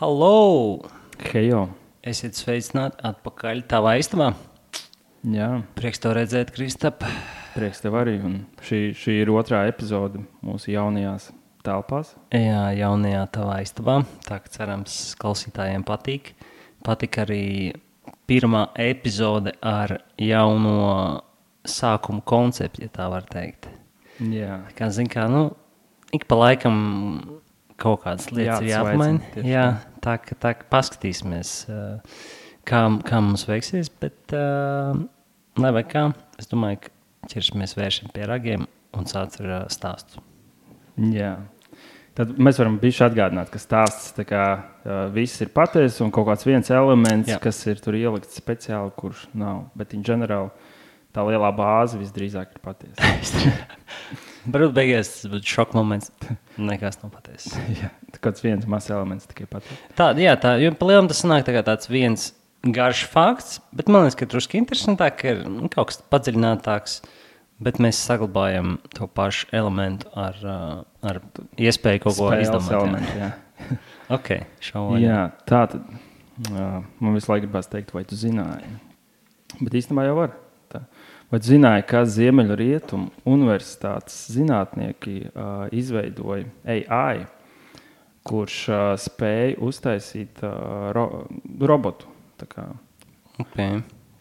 Hallo! Hejo! Esiet sveicināti atpakaļ tavā istabā. Jā, Prieks tev redzēt, Kristap. prieks tev arī. Un šī ir otrā epizode mūsu jaunajās telpās. Jā, jaunajā tavā istabā. Tā kā cerams, klausītājiem patīk. Patika arī pirmā epizode ar jauno sākumu konceptu, ja tā var teikt. Jā, Kā zin kā, ik pa laikam kaut kādas lietas ir jāpamaina. Jā, tā ka paskatīsimies, kā mums veiksies, bet lai vai kā, es domāju, ka ķersimies vēršiem pie ragiem un sāc ar stāstu. jā. Tad mēs varam bišķi atgādināt, ka stāsts tā kā viss ir patiesa un kaut kāds viens elements, Jā. kas ir tur ielikts speciāli, kurš nav. Bet in general tā lielā bāze visdrīzāk ir patiesa. Varbūt beigās tas būtu šoka moments. Nekas nav patiesa. Jā, tā kāds viens mazs elements tikai patiesa. Tā, jo pa lielam tas sanāk tā kā tāds viens garš fakts, bet man liekas, ka drusku interesantāk ir kaut kas padziļinātāks, bet mēs saglabājam to pašu elementu ar iespēju kaut ko Spēles izdomāt. elementi, jā. Ok, šauvaļā. Jā, tā tad man visu laiku gribās teikt, vai tu zināji. Bet īstenībā jau var. Tā. Vai tu zināji, ka Ziemeļrietumu universitātes zinātnieki izveidoja AI, kurš spēja uztaisīt robotu? Tā kā Okay.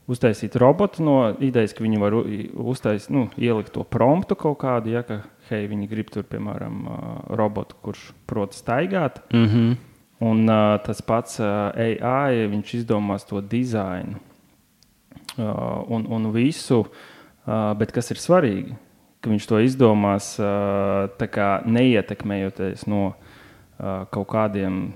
uztaisīt robotu no idejas, ka viņi var uztaisīt, ielikt to promptu kaut kādu, ja, ka hei, viņi grib tur, piemēram, robotu, kurš prot staigāt. Mhm. Un tas pats AI, viņš izdomās to dizainu un visu, bet kas ir svarīgi, ka viņš to izdomās tā kā neietekmējoties no kaut kādiem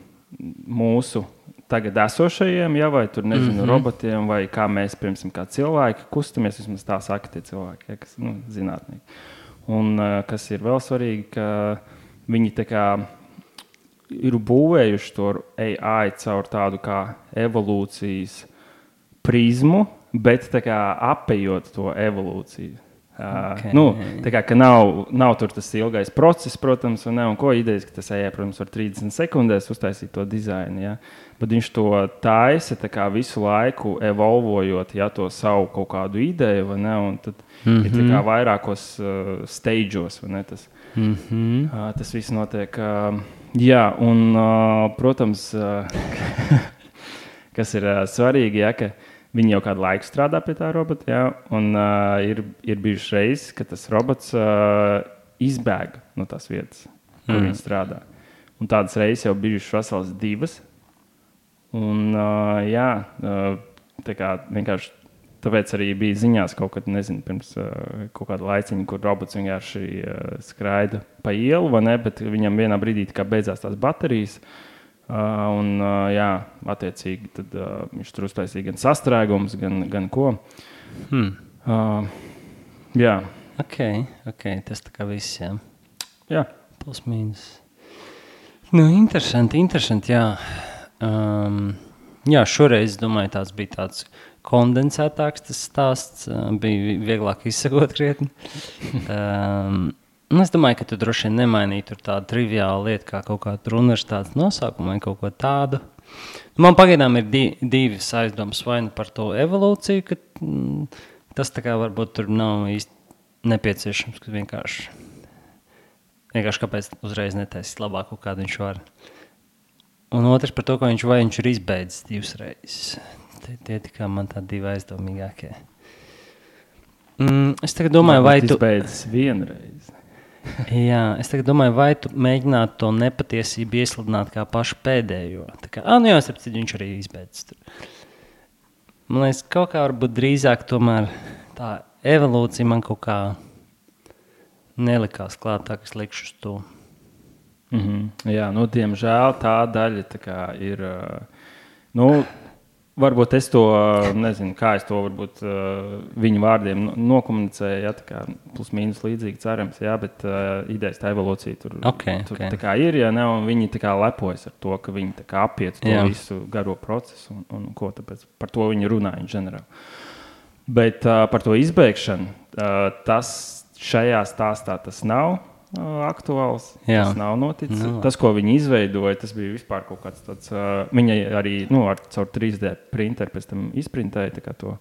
mūsu tagad esošajiem, ja, vai tur, nezinu, robotiem, vai kā mēs, piemēram, kā cilvēki kustamies, vismaz tā saka tie cilvēki, ja, kas, zinātnieki. Un kas ir vēl svarīgi, ka viņi tā kā ir būvējuši to AI caur tādu kā evolūcijas prizmu, bet tā kā apējot to evolūciju. Okay. Tā kā ka nav tur tas ilgais process, protams, un ko idejas, ka tas AI, protams, var 30 sekundēs uztaisīt to dizainu, ja? Bet viņš to taisa tā kā visu laiku evolvojot, ja, to savu kaut kādu ideju, vai ne, un tad ir tā kā vairākos stageos, vai ne, tas viss notiek. Jā, un, protams, kas ir svarīgi, ja, ka viņi jau kādu laiku strādā pie tā robota, ja, un ir bijuši reizes, ka tas robots izbēga no tās vietas, kur viņi strādā. Un tādas reizes jau bijušas vesels 2. Un, jā, tā kā vienkārši tāpēc arī bija ziņās kaut kad, nezinu, pirms kaut kāda laiciņa, kur robots vienkārši skraida pa ielu, vai ne, bet viņam vienā brīdī tā kā beidzās tās baterijas. Un, jā, attiecīgi, tad viņš tur uztaisīja gan sastrēgums, gan ko. Jā. Ok, tas tā kā viss, jā. Jā. Plus mīnus. Interesanti, jā. Jā, šoreiz, domāju, tāds bija tāds kondensētāks tas stāsts, bija vieglāk izsakot krietni. Es domāju, ka tu droši vien nemainīji tur tādu triviālu lietu, kā kaut kādu universitātes nosaukumu vai kaut ko tādu. Man pagaidām ir divas aizdomas, vai nu par to evolūciju, ka tas tā kā varbūt tur nav īsti nepieciešams, ka vienkārši kāpēc uzreiz netaisīt labāk, kādu viņš var. Un otrs par to, ka viņš ir izbeidzis 2 reizes. Tie tikai man tādi 2 aizdomīgākie. Es tagad domāju, vai tu izbeidzis 1 reizi. Jā, es tagad domāju, vai tu mēģinātu to nepatiesību iesludināt kā pašu pēdējo. Tā kā, jā, viņš arī izbeidzis tur. Man liekas, kaut kā varbūt drīzāk tomēr tā evolūcija man kaut kā nelikās klāt, tā, ka es likšu uz to. Jā, diemžēl tā daļa tā kā ir, varbūt es to, nezinu, kā es to varbūt viņu vārdiem nokomunicēju, ja, tā kā plus mīnus līdzīgi cerams, jā, bet idejas tā evolūcija tur tā kā ir, ja ne, un viņi tā kā lepojas ar to, ka viņi tā kā apiet to visu garo procesu, un ko tāpēc par to viņi runāja ģenerāli. Bet par to izbeigšanu, tas šajā stāstā tas nav, aktuāls. Jā. Tas nav noticis. Tas, ko viņi izveidoja, tas bija vispār kaut kāds tāds. Viņa arī caur 3D printeru pēc tam izprintēja to,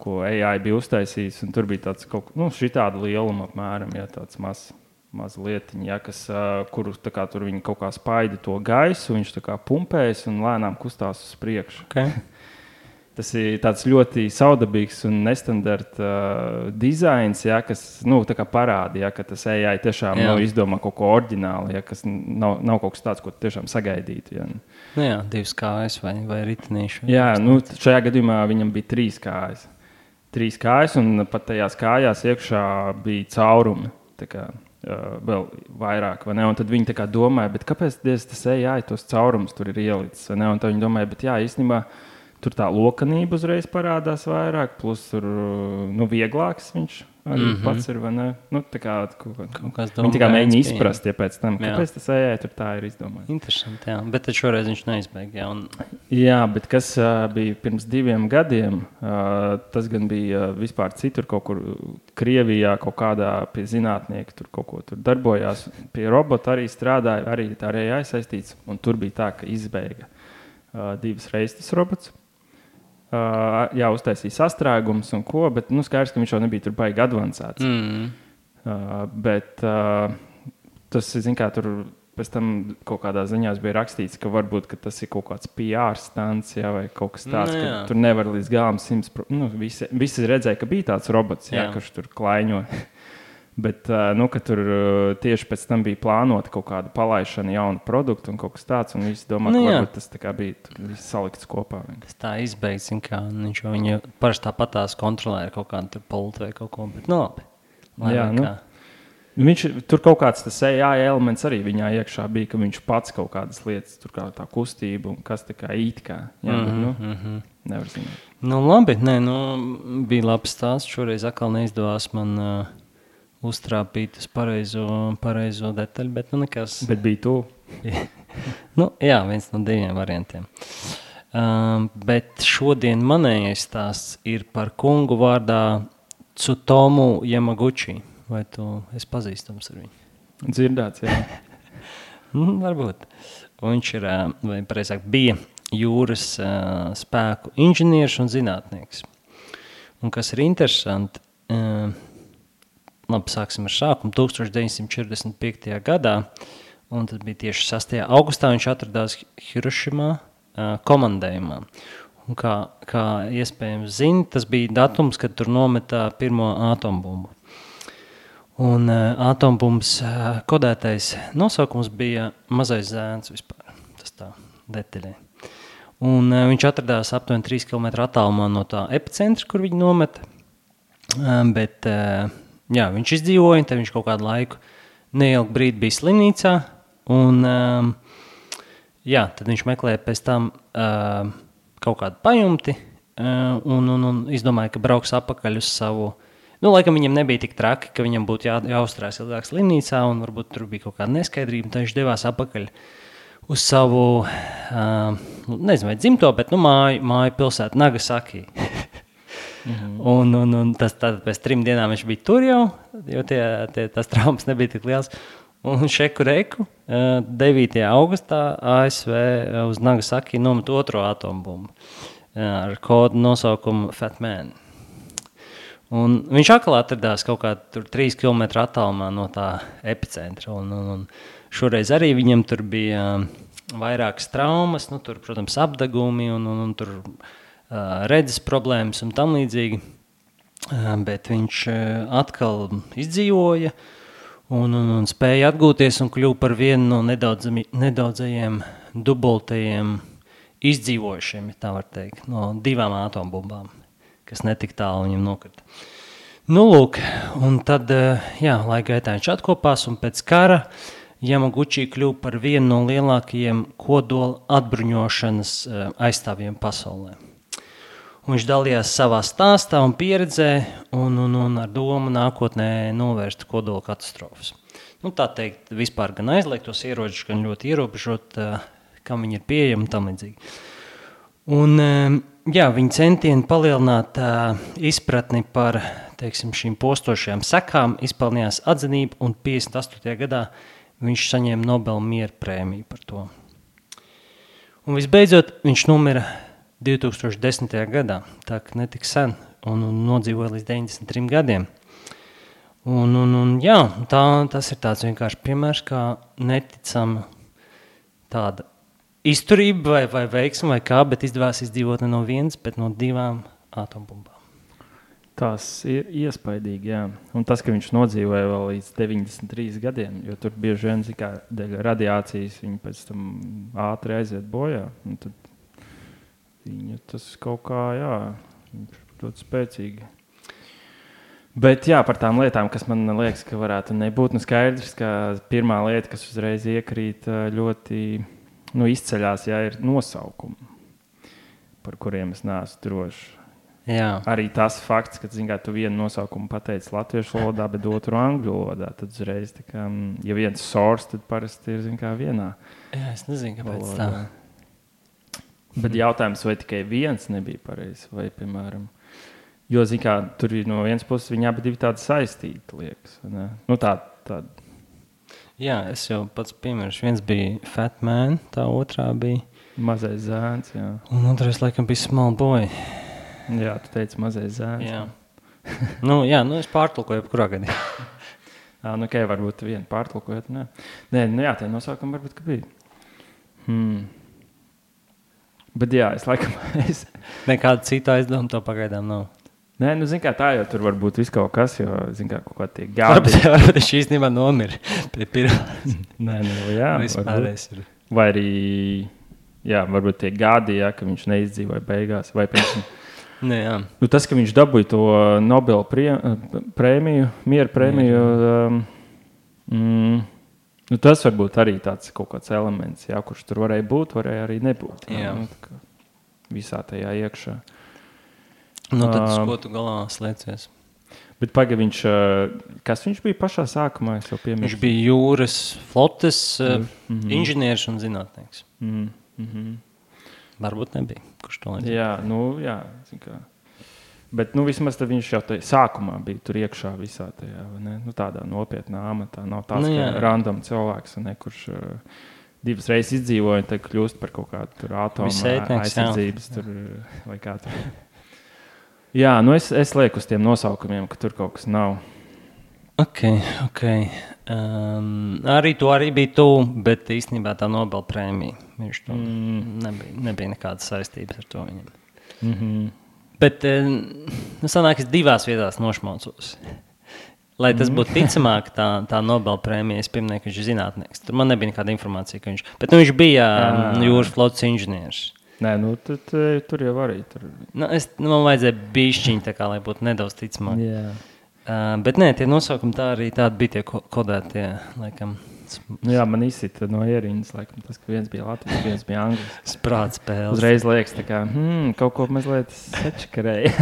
ko AI bija uztaisījis. Tur bija tāds kaut kas, šitāda lieluma apmēram, tāds maz lietiņa, kuru tur viņi kaut kā spaida to gaisu, viņš tā kā pumpējas un lēnām kustās uz priekšu. Okay. Tas ir tāds ļoti saudabīgs un nestandarta dizains, kas parāda, ka tas AI tiešām izdomā kaut ko oriģinālu, kas nav kaut kas tāds, ko tiešām sagaidītu. Ja. Jā, 2 kājas vai ritenīši. Jā, šajā gadījumā viņam bija 3 kājas. 3 kājas, un pat tajās kājās iekšā bija caurumi. Vēl vairāk, vai ne? Un tad viņi domāja, bet kāpēc tas AI tos caurumus tur ir ielicis? Un tad viņi domāja, bet īstenībā tur tā lokanība uzreiz parādās vairāk, plus tur vieglāks viņš arī pats ir, vai ne? Viņi tikai mēģina izprast, pēc tam, kāpēc tas AI tur tā ir izdomājis. Interesanti, jā. Bet tad šoreiz viņš neizbēga, Jā, bet kas bija pirms 2 gadiem, tas gan bija vispār citur, kaut kur Krievijā, kaut kādā pie zinātnieka, tur kaut ko tur darbojās, pie robota arī strādāja, arī tā arī AI saistīts, un tur bija tā, ka izbēga 2 reizes tas robots. Uztaisīja sastrēgumus un ko, bet skaidrs, ka viņš jau nebija tur baigi advancēts. Bet tas, tur pēc tam kaut kādā ziņā bija rakstīts, ka varbūt ka tas ir kaut kāds PR stunts, vai kaut kas tāds, ka tur nevar līdz galam 100%. Visi redzēja, ka bija tāds robots, kurš tur klaiņo. Bet ka tur tieši pēc tam bija plānota kaut kāda palaišana jaunu produktu un kaut kas tāds, un visi domā, ka varbūt tas bija tur viss salikts kopā. Tas tā izbeigts, kā viņš jau parasti tāpatās kontrolē ar kaut kādu pultu vai kaut ko, bet labi. Viņš, tur kaut kāds tas AI elements arī viņā iekšā bija, ka viņš pats kaut kādas lietas, tur kā tā kustība un kas tā kā it kā. Nevar zināt. Labi, bija labs stāsts, šoreiz atkal neizdevās man uztrāpīt uz pareizo detaļu, bet nekas. Bet bija tu. Jā, viens no 2 variantiem. Bet šodien manējais stāsts ir par kungu vārdā Tsutomu Yamaguchi. Vai tu esi pazīstams ar viņu? Dzirdēts, jā. Varbūt. Viņš ir, vai pareizāk, bija jūras spēku inženieris un zinātnieks. Un kas ir interesanti, labi, sāksim ar sākumu. 1945. gadā, un tad bija tieši 6. augustā, viņš atradās Hirošimā komandējumā. Un kā iespējams zina, tas bija datums, kad tur nometā pirmo atombumbu. Un atombumbas kodētais nosaukums bija Mazais zēns vispār. Tas tā detaļai. Un viņš atradās aptuveni 3 km attālumā no tā epicentra, kur viņi nometa. Bet viņš izdzīvoja, tad viņš kaut kādu laiku neilgu brīdi bija slimnīcā, un tad viņš meklēja pēc tam kaut kādu pajumti, un izdomāja, ka brauks apakaļ uz savu, laikam viņam nebija tik traki, ka viņam būtu jāuzturās ilgāk slimnīcā, un varbūt tur bija kaut kāda neskaidrība, tad viņš devās apakaļ uz savu, nezinu vai dzimto, bet māju pilsētu Nagasaki. Un tas pēc 3 dienām viņš bija tur jau, jo tas traumas nebija tik liels. Un šeku reku 9. augustā ASV uz Nagasaki nomet 2. atombumbu ar kodu nosaukumu Fat Man. Un viņš atkal atradās kaut kā tur 3 km attālumā no tā epicentra. Un šoreiz arī viņam tur bija vairākas traumas, tur, protams, apdegumi un tur redzes problēmas un tam līdzīgi, bet viņš atkal izdzīvoja un spēja atgūties un kļuva par vienu no nedaudzajiem dubultajiem izdzīvojušiem, ja tā var teikt, no 2 atombumbām, kas netik tālu viņam nokrita. Lūk, un tad, laika gaitā viņš atkopās, un pēc kara Yamaguchi kļuva par vienu no lielākajiem kodola atbruņošanas aizstāvjiem pasaulē. Un viņš dalījās savā stāstā un pieredzē un ar domu nākotnē novērst kodola katastrofas. Tā teikt, vispār gan aizliegtos ieročus, gan ļoti ierobežot, kam viņi ir pieejami un tam līdzīgi. Un, viņi centieni palielināt izpratni par teiksim, šīm postošajām sekām izpelnījās atzinību, un 58. gadā viņš saņēma Nobela miera prēmiju par to. Un visbeidzot, viņš nomira 2010. gadā, tā ka netik sen, un nodzīvoja līdz 93 gadiem. Un jā, tas ir tāds vienkārši piemērs, kā neticama tāda izturība vai veiksma vai kā, bet izdevās izdzīvot ne no vienas, bet no 2 atombumbām. Tas ir iespaidīgi, jā. Un tas, ka viņš nodzīvoja vēl līdz 93 gadiem, jo tur bieži vien, kā dēļ radiācijas, viņi pēc tam ātri aiziet bojā. Un tad viņa tas kaut kā, jā, ļoti spēcīgi. Bet jā, par tām lietām, kas man liekas, ka varētu nebūt, skaidrs, ka pirmā lieta, kas uzreiz iekrīt ļoti izceļās, jā, ir nosaukumi, par kuriem es neesmu drošs. Jā. Arī tas fakts, ka tu vienu nosaukumu pateici latviešu valodā, bet otru angļu valodā. Tad uzreiz, kā, ja viens source, tad parasti ir vienā. Jā, es nezinu, kāpēc valodā. Tā. Bet jautājums, vai tikai viens nebija pareizs, vai, piemēram, jo, kā, tur ir no vienas puses viņi abi divi tādi saistīti, liekas. Ne? Nu, tādi. Jā, es jau pats piemērs. Viens bija Fat Man, tā otrā bija Mazais zēns, jā. Un otrais, laikam, bija Small Boy. Jā, tu teici Mazais zēns. Jā. Es pārtulkoju kurā gadījumā. Okay, varbūt vienu pārtulkojot. Nē, tie nosaukumi varbūt, ka bija. Bet jā, es laikam... Nekāda cita aizdoma to pagaidām nav. Nē, kā tā jau tur var būt viss kaut kas, jo, kā kaut kā tie gadi. Varbūt es šī īstenībā nomira pie pirmās. Nē, jā, varbūt. Vai arī, jā, varbūt tie gadi, jā, ka viņš neizdzīvoja beigās, vai piemēram... tas, ka viņš dabūja to Nobela prēmiju, miera prēmiju, tas varbūt arī tāds kaut kāds elements, jā, kurš tur varēja būt, varēja arī nebūt. Jā. Visā tajā iekšā. Tad uz ko tu galā slēcies? Bet kas viņš bija pašā sākumā? Viņš bija jūras flotes inženieris un zinātnieks. Varbūt nebija. Kurš to līdz? Jā, jā. Kā. Bet vismaz viņš jau sākumā bija tur iekšā visā tajā, ne? Tādā nopietnā amatā. Nav tāds, ka random cilvēks, ne, kurš 2 reizes izdzīvoja un tad kļūst par kaut kādu atomu aizsardzības tur, vai kā tur. Jā, es lieku uz tiem nosaukumiem, ka tur kaut kas nav. Ok. Arī bija tu, bet īstenībā tā Nobela prēmija. Viņš to nebija nekādas saistības ar to viņam. Bet sanāk, es 2 vietās nošmaucos. Lai tas būtu ticamāk, tā Nobela prēmija, es pieminēju, ka viņš ir zinātnieks. Tur man nebija nekāda informācija, ka viņš... Bet viņš bija jūras flotes inženieris. Nē, tur jau arī. Man vajadzēja bišķiņ, tā kā, lai būtu nedaudz ticamāk. Jā. Bet nē, tie nosaukumi tā arī tādi bija tie kodētie, laikam. Jā, man izsita no ierindas, laikam, tas, ka viens bija Latvijas, viens bija Anglis. Sprāts spēles. Uzreiz liekas, tā kā, kaut ko mazliet sačakarēja.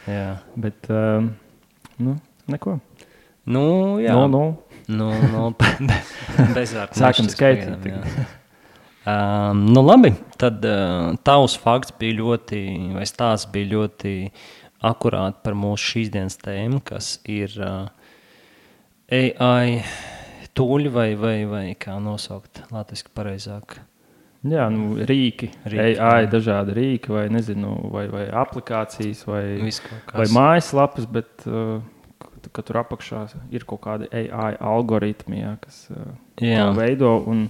Jā. Bet, neko. Jā. Bezvārds. Sākam skaitīt. Labi, tad tavs fakts bija ļoti, vai stāsts bija ļoti akurāti par mūsu šīs dienas tēmu, kas ir AI tūļi vai kā nosaukt latviski pareizāk. Jā, rīki AI, dažādi rīki, vai nezinu, vai aplikācijas, vai mājaslapas, bet ka tur apakšā ir kaut kādi AI algoritmi, jā, kas to veido, un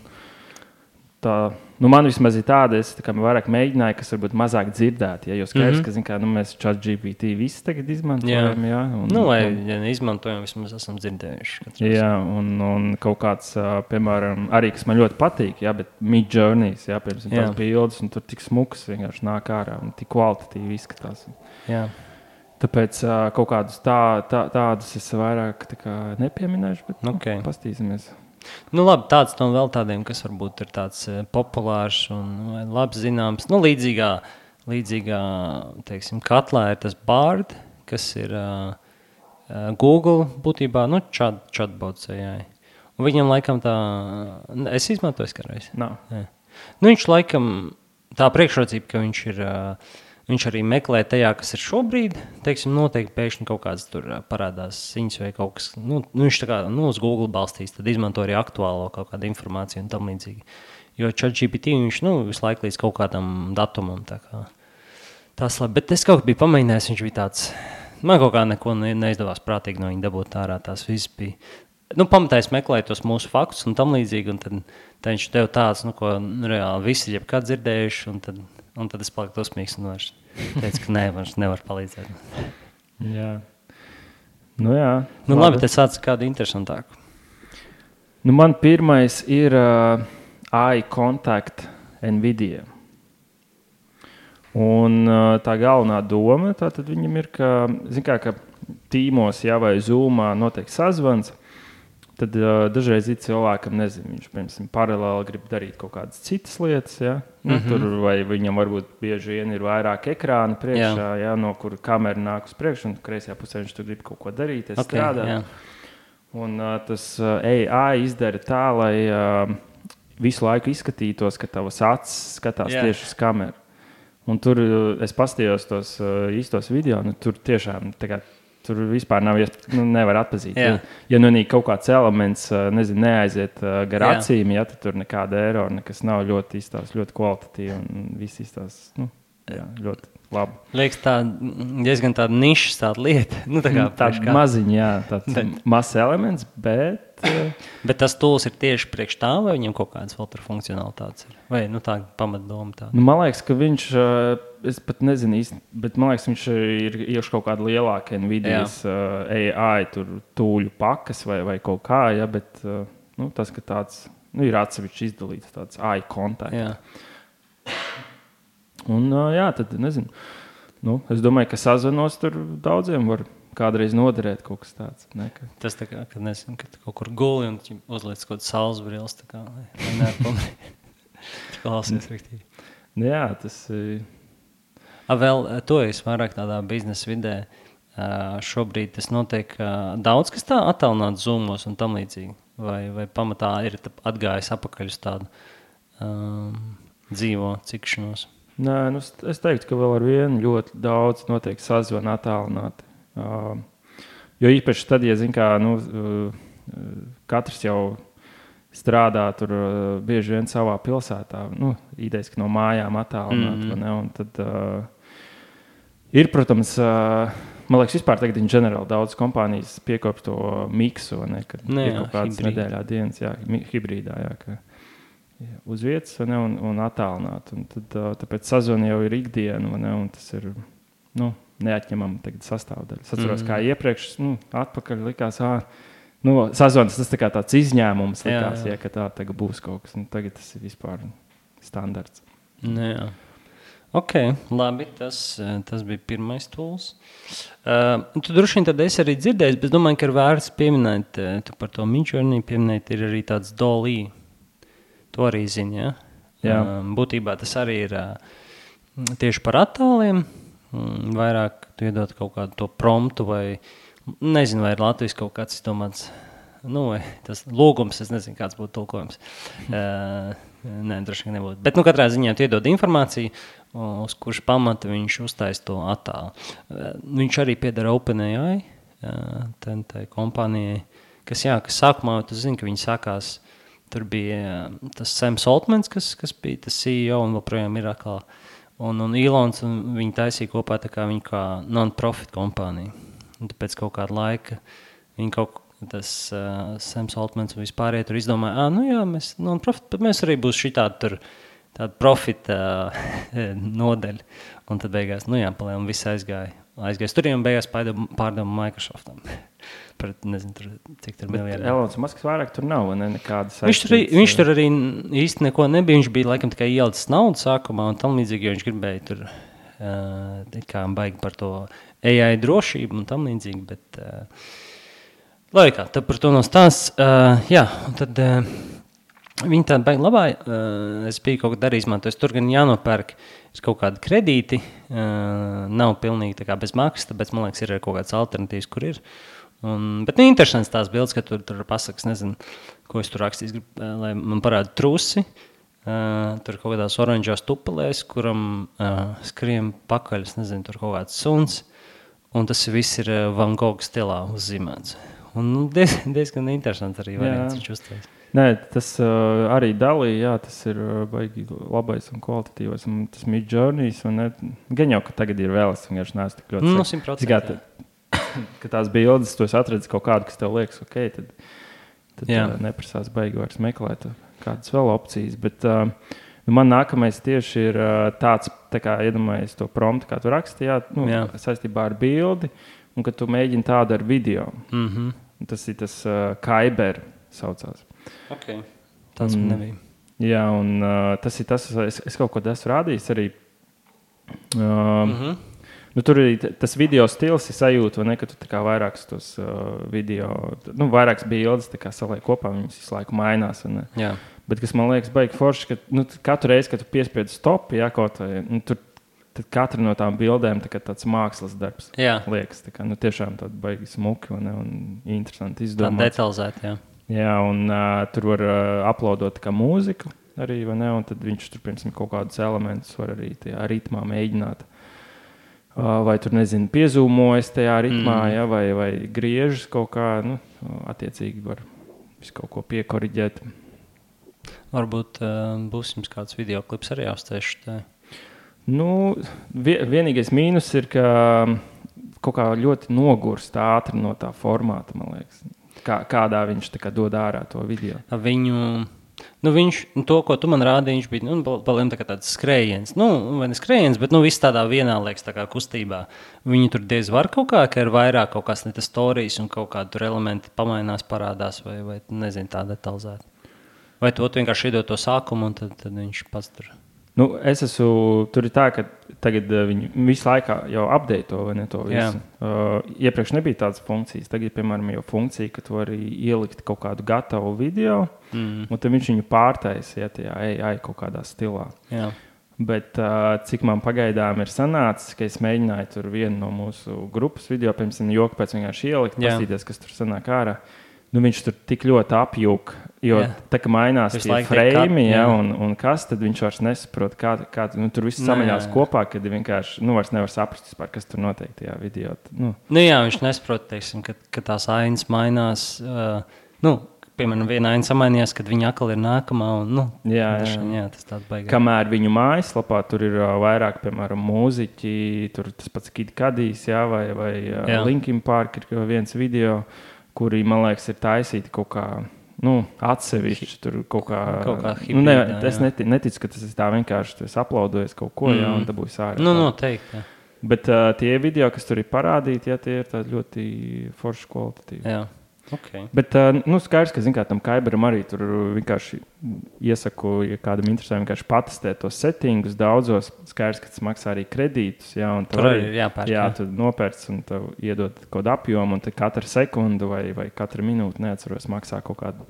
tā, man vismaz ir tāda, es vairāk mēģināju, kas varbūt mazāk dzirdēt, jo skaidrs, ka mēs ChatGPT visi tagad izmantojam, jā. Vai ja neizmantojam, vismaz esam dzirdējuši. Jā, un kaut kāds, piemēram, arī, kas man ļoti patīk, jā, bet Midjourney, jā, piemēram, tās bildes, un tur tik smukas vienkārši nāk ārā, un tik kvalitatīvi izskatās. Jā. Tāpēc kaut kādus tādus es vairāk nepieminēšu, bet pastīsimies. Labi, tāds no vēl tādiem, kas varbūt ir tāds populārs un labi zināms. Līdzīgā teiksim, katlā ir tas Bard, kas ir Google būtībā, chatbots AI. Un viņam laikam tā... Es izmantoju kādreiz. Nav. Viņš laikam... Tā priekšrocība, ka viņš ir Viņš arī meklē tajā, kas ir šobrīd. Teiksim, noteikti pēkšņi kaut kāds tur parādās ziņas vai kaut kas. Viņš tā kā uz Google balstīs, tad izmanto arī aktuālo kaut kādu informāciju un tam līdzīgi. Jo ChatGPT viņš visu laiku līdz kaut kādam datumam. Tas labi, bet es kaut kā biju pamēģinājis, viņš bija tāds, man kaut kā neko neizdevās prātīgi no viņa dabūt ārā. Tās viss bija. Pamatā es meklēju tos mūsu faktus un tam līdzīgi, un tad viņš tev tāds, ko reāli visi jebkad dzirdējuši, un tad es paliku dosmīgs un vairs teicu, ka vairs nevar palīdzēt. Jā. Jā. Labi, tad sāc kādu interesantāku. Man pirmais ir eye contact NVIDIA. Un tā galvenā doma, tad viņam ir, ka tīmos, vai Zoomā notiek sazvans, tad dažreiz ir cilvēkam, viņš, piemēram, paralēli grib darīt kaut kādas citas lietas, tur, vai viņam varbūt bieži vien ir vairāk ekrāna priekšā, no kura kamera nāk uz priekšu, un kreisajā pusē viņš tur grib kaut ko darīt, strādāt. Un tas AI izdara tā, lai visu laiku izskatītos, ka tavas acis skatās tieši uz kameru. Un tur es paskatījos tos īstos video, tur tiešām tur vispār nevar atpazīt. Ja kaut kāds elements neaiziet gar acīm, tad tur nekāda erora, nekas nav ļoti izstās, ļoti kvalitatīvi un viss izstās ļoti labi. Liekas, diezgan tāda nišas tāda lieta. Tāda maziņa, tāds mazs elements, bet... Bet tas tools ir tieši priekš tā, vai viņam kaut kādas vēl tur funkcionalitātes ir? Vai tā pamatdoma tāda? Man liekas, ka viņš, es pat nezinu īsti, bet man liekas, viņš ir ieši kaut kāda lielāka NVIDIAs AI tūļu pakas vai kaut kā, bet tas, ka tāds ir atsevišķi izdalīts, tāds eye contact. Un tad nezinu. Es domāju, ka sazvanos tur daudziem var kādreiz noderēt kaut kas tāds. Tas tā kā, kad kaut kur guli un uzliec kaut kādu saules brilles, tā kā, lai neapamrī. Klausies riktīgi. Jā, tas ir... Vēl to es vairāk tādā biznesa vidē. Šobrīd tas notiek daudz, kas tā attālināt Zoomos un tam līdzīgi. Vai pamatā ir atgājis apakaļ uz tādu dzīvo cikšanos? Nē, es teiktu, ka vēl ar vienu ļoti daudz notiek sazvana attālināti. Jo īpaši tad, ja katrs jau strādā tur bieži vien savā pilsētā, idejas, ka no mājām attālināt, un tad ir, protams, man liekas, vispār tagad ģenerāli daudz kompānijas piekop to miksu, kad ir kaut kādas nedēļā dienas, hibrīdā, ka uz vietas, un attālināt, un tad tāpēc sazvana jau ir ikdiena, un tas ir, neatņemama sastāvdaļa. Es atceros, kā iepriekš, atpakaļ likās, sazvanas tas tāds izņēmums likās, ka tā tagad būs kaut kas. Tagad tas ir vispār standarts. Jā. Ok, labi, tas bija pirmais tools. Tu droši vien tad esi arī dzirdējis, bet domāju, ka ir vērts pieminēt, tu par to Midjourney pieminēt, ir arī tāds DALL-E. To arī zini, ja? Jā. Būtībā tas arī ir tieši par attāliem. Vairāk tu iedod kaut kādu to promptu vai, nezinu, vai ir Latvijas kaut kāds izdomāts, tas lūgums, es nezinu, kāds būtu tulkojums. Nē, droši vien nebūtu. Bet, katrā ziņā tu iedod informāciju, uz kurš pamata viņš uztais to attālu. Viņš arī piedara OpenAI, tai kompānijai, kas sākumā, tu zini, ka viņi sākās, tur bija tas Sams Altmans, kas bija tas CEO un joprojām ir atkal. Un Elons, un viņi taisīja kopā tā kā viņa kā non-profit kompānija. Un pēc kaut kāda laika viņi tas Sams Altmans un vispārējie tur izdomāja, mēs non-profit, bet mēs arī būs šī tāda profita nodeļa. Un tad beigās, palēm viss aizgāja tur, un beigās pārdoma Microsoftam. Par, nezinu, cik tur miljardiem. Elons Musks vairāk tur nav, nekādas viņš tur arī īsti neko nebija. Viņš bija laikam tikai ielicis naudu sākumā un tam līdzīgi, jo viņš gribēja tur kā baigi par to AI drošību un tam līdzīgi, bet laikā, tad par to nostās. Un tad viņi tādi baigi labā, es biju kaut kad arī izmantojis, tur gan jānopērk kaut kādi kredīti, nav pilnīgi tā kā bez maksas, tāpēc man liekas ir kaut kāds alternatīvs, kur ir. Bet interesants tās bildes, ka tur pasakas, nezinu, ko es tur rakstīs, lai man parāda trusi, tur kaut kādās oranžās tupelēs, kuram skrien pakaļ, es nezinu, tur kaut kāds suns, un tas viss ir Van Gogh stilā uzzīmēts. Un diezgan interesants arī variants viņš uztais. Nē, tas arī Dalī, jā, tas ir baigi labais un kvalitatīvais, un tas Midjourneys, un gan jau, ka tagad ir vēl, es vienkārši neesmu tik ļoti... 100%, ka tās bildes, tu esi atradis kaut kādu, kas tev liekas, ok, tad neprasās baigi vairs meklēt kādas vēl opcijas, bet man nākamais tieši ir tāds, tā kā iedomājies to promptu, kā tu raksti, saistībā ar bildi, un ka tu mēģini tādu ar video. Tas ir tas Kyber saucās. Ok, tāds man nebija. Jā, un tas ir tas, es kaut ko esmu rādījis arī. Tur arī tas video stils ir sajūta, vai ne, ka tu tā kā vairākas tos video, vairākas bildes tā kā saliek kopā, viņas visu laiku mainās. Jā. Bet kas man liekas baigi forši, ka katru reizi, kad tu piespied stop, kaut vai, tad katra no tām bildēm tāds mākslas darbs liekas. Tā kā, tiešām tāda baigi smuki un interesanti izdomāts. Tā detalizēti, jā. Jā, un tur var uploadot kā mūziku arī, vai ne, un tad viņš tur, piemēram, kaut kādus elementus var arī tajā ritmā mēģināt. Vai tur, nezinu, piezūmojas tajā ritmā, vai griežas kaut kā, attiecīgi var visu kaut ko piekoriģēt. Varbūt būs jums kāds videoklips arī jāuztieši. Vienīgais mīnus ir, ka kaut kā ļoti nogurst ātri no tā formāta, man liekas. Kādā viņš tā kā dod ārā to video? Viņš, to, ko tu man rādīji, viņš bija paliem tāds skrējiens. Vai ne skrējiens, bet viss tādā vienā liekas tā kā kustībā. Viņi tur diez var kaut kā, ka ir vairāk kaut kāds ne tas storijas un kaut kādi tur elementi pamainās, parādās vai nezinu, tā detalizēti. Vai tu vienkārši iedod to sākumu un tad viņš pats tur... Tur ir tā, ka tagad viņi visu laiku jau update to, vai ne, to visu. Iepriekš nebija tādas funkcijas. Tagad, piemēram, jau funkcija, ka tu vari ielikt kaut kādu gatavu video, un tad viņš viņu pārtaisa, tajā AI kaut kādā stilā. Jā. Bet cik man pagaidām ir sanācis, ka es mēģināju tur vienu no mūsu grupas video, piemēram, joku pēc vienkārši ielikt, pastīties, kas tur sanāk ārā. Viņš tur tik ļoti apjūk, jo tā kā mainās tie frame, un kas, tad viņš vairs nesaprot, kā tur viss samaļās kopā, kad vienkārši, vairs nevar saprast vispār, kas tur notiek tajā video. Jā, viņš nesaprot, teiksim, ka tās ainas mainās, piemēram, viena aina samainījās, kad viņa atkal ir nākamā, tas tāds baigās. Kamēr viņu mājaslapā tur ir vairāk, piemēram, mūziķi, tur tas pats Kid Cudijs, vai Linkin Park ir viens video, kuri, man liekas, ir taisīti kaut kā, atsevišķi, tur kaut kā hibrīdā. Es neticu, ka tas ir tā vienkārši, tu esi uploadojis kaut ko, un tā būs ārā. Noteikti, jā. Bet tie video, kas tur ir parādīti, tie ir tādi ļoti forši kvalitatīvi. Jā. Okay. Bet skaidrs, ka tam Kyberam arī tur vienkārši iesaku, ja kādam interesē, vienkārši patestēt tos settingus daudzos. Skaidrs, ka tas maksā arī kredītus. Un tur arī ir jāpērk. Jā, tu nopērc un tev iedod kaut kādu apjomu, un tad katra sekundu vai katra minūte, neatceros, maksā kaut kādu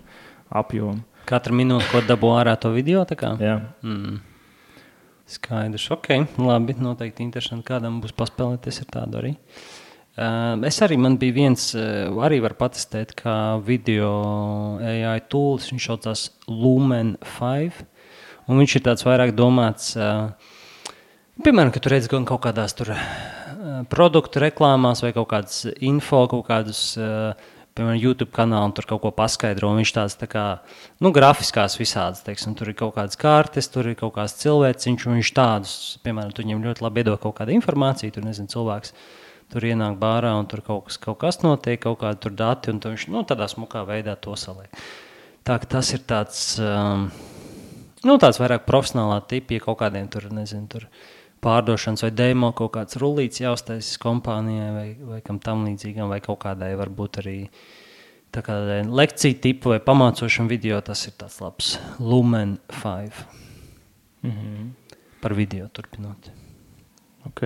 apjomu. Katra minūte, ko dabū ārā to video, tā kā? Jā. Skaidrs, ok, labi, noteikti interesanti, kādam būs paspēlēties ar tādu arī. Man bija viens, arī var patestēt, kā video AI tools, viņš saucās Lumen 5, un viņš ir tāds vairāk domāts, piemēram, ka tu redz gan kaut kādās tur produktu reklāmās vai kaut kādas info, kaut kādus, piemēram, YouTube kanālu, un tur kaut ko paskaidro, un viņš tāds tā kā, grafiskās visādas, teiksim, tur ir kaut kādas kartes, tur ir kaut kāds cilvēciņš, un viņš tādus, piemēram, tu viņam ļoti labi iedod kaut kādu informāciju, tur, nezinu, cilvēks, tur ienāk bārā un tur kaut kas notiek, kaut kādi tur dati, un viņš tādā smukā veidā to saliek. Tā ka tas ir tāds, tāds vairāk profesionālā tipa, ja kaut kādiem tur, nezinu, tur pārdošanas vai demo kaut kāds rullīts jāuztaisīs kompānijai vai kam tam līdzīgam, vai kaut kādai varbūt arī tā kādai lekciju tipu vai pamācošam video, tas ir tāds labs Lumen 5. Par video turpinot. Ok.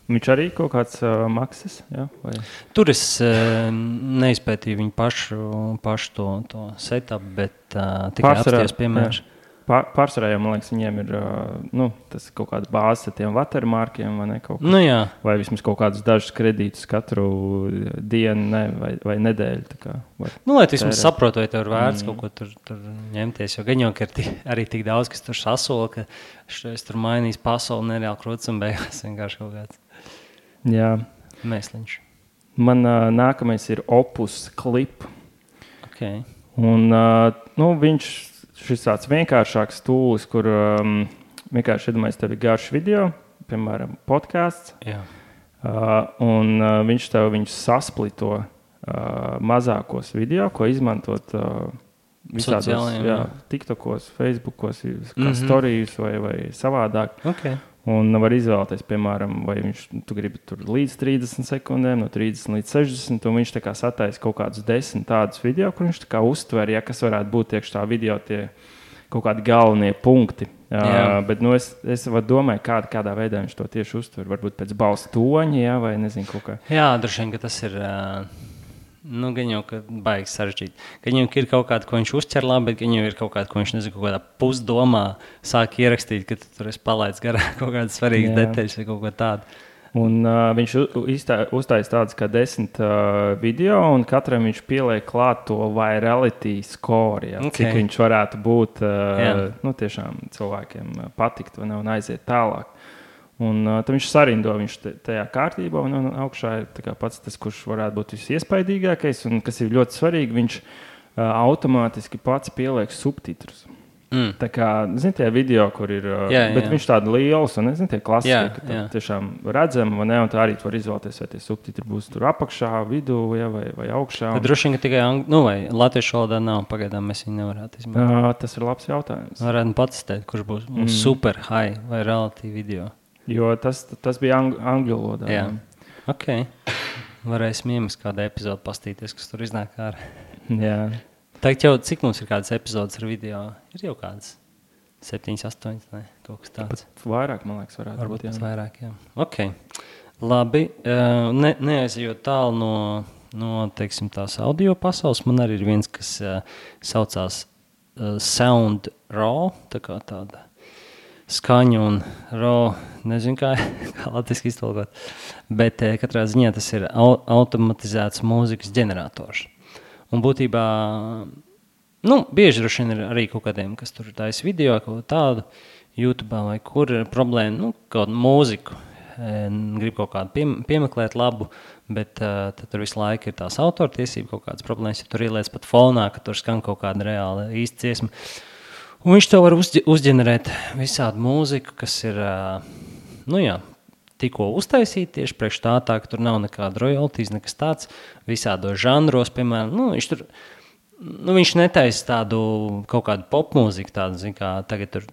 Viņš arī kaut kāds maksas, jā? Vai? Tur es neizpētīju viņu pašu to setup, bet tikai apsties piemērs. pārsvarā jau, man liekas, viņiem ir tas kaut kāda bāze ar tiem watermarkiem vai ne kaut kas. Nu, jā. Vai vismaz kaut kādus dažus kredītus katru dienu vai nedēļu. Tā kā, lai tu vismaz saprotu, vai tev ir vērts kaut ko tur ņemties. Jo gan jau, ka ir arī tik daudz, kas tur sasola, ka es tur mainīs pasauli nereāli krūts un beigās vienkārši kaut kāds. Jā. Mēsliņš. Man nākamais ir Opus Clip. Okay. Un šis tāds vienkāršāks tūlis, kur vienkārši iedomājies, tev ir garš video, piemēram, podcasts. Jā. Un viņš tev viņus sasplito mazākos video, ko izmantot visādos TikTokos, Facebookos, kā storijus vai savādāk. Okay. Un var izvēlēties, piemēram, vai tu gribi tur līdz 30 sekundēm, no 30 līdz 60, un viņš tā kā sataisa kaut kādus 10 tādus video, kur viņš tā kā uztver, kas varētu būt iekš tā video tie kaut kādi galvenie punkti. Bet es domāju, kādā veidā viņš to tieši uztver. Varbūt pēc balss toņa, vai nezinu kaut kā. Jā, droši vien, ka tas ir... gan jau, ka baigs sarežģīt. Gan jau ir kaut kāda, ko viņš uzķer labi, bet gan jau ir kaut kāda, ko viņš, nezinu, kaut kādā pusdomā sāk ierakstīt, ka tu tur esi palaidis garā kaut kādas svarīgas detaļas vai kaut ko tādu. Un viņš uztaisa tādas kā 10 video, un katram viņš pieliek klāt to virality score, cik viņš varētu būt tiešām cilvēkiem patikt vai ne, un aiziet tālāk. Un tad viņš sarindo tajā kārtībā, un augšā ir pats tas, kurš varētu būt visiespaidīgākais, un kas ir ļoti svarīgi, viņš automātiski pats pieliek subtitrus. Tā kā, tie video, kur ir, bet viņš tādi liels, un tie klasiski, ka tiešām redzam, vai ne, un tā arī tu var izvēlēties, vai tie subtitri būs tur apakšā, vidū, vai augšā. Bet droši vien, ka tikai vai latviešu valodā nav, pagaidām mēs viņu nevarētu izmantot. Tas ir labs jautājums. Varētu pats teikt, kurš būs super high vai relatīvi video. Jo tas bija angļu valodā. Jā, ok. Varēsim iemest kādu epizodu pastīties, kas tur iznāk ārā. Jā. Tagad jau, cik mums ir kādas epizodes ar video? Ir jau kādas 7, 8, ne? Kaut kas tāds. Pat vairāk, man liekas, varētu būt. Varbūt vairāk, jā. Ok. Labi. Neaizejot tālu no teiksim, tās audio pasaules, man arī ir viens, kas saucās Sound Raw, tā kā tāda skaņu un raw, nezinu, kā latviski iztulkot, bet katrā ziņā tas ir automatizēts mūzikas ģenerators. Un būtībā, bieži droši vien ir arī kaut kādiem, kas tur taisa video, kaut tādu YouTube vai kur ir problēma, kaut mūziku, grib kaut kādu piemeklēt labu, bet tad tur visu laiku ir tās autortiesība, kaut kādas problēmas, ja tur ieliec pat fonā, ka tur skan kaut kāda reāla īsta dziesma. Un viņš tev var uzģenerēt visādu mūziku, kas ir, tikko uztaisīta tieši priekš tā, ka tur nav nekāda royalties, nekas tāds, visādos žanros, piemēram, viņš netaisa tādu kaut kādu popmūziku, tādu, kā tagad tur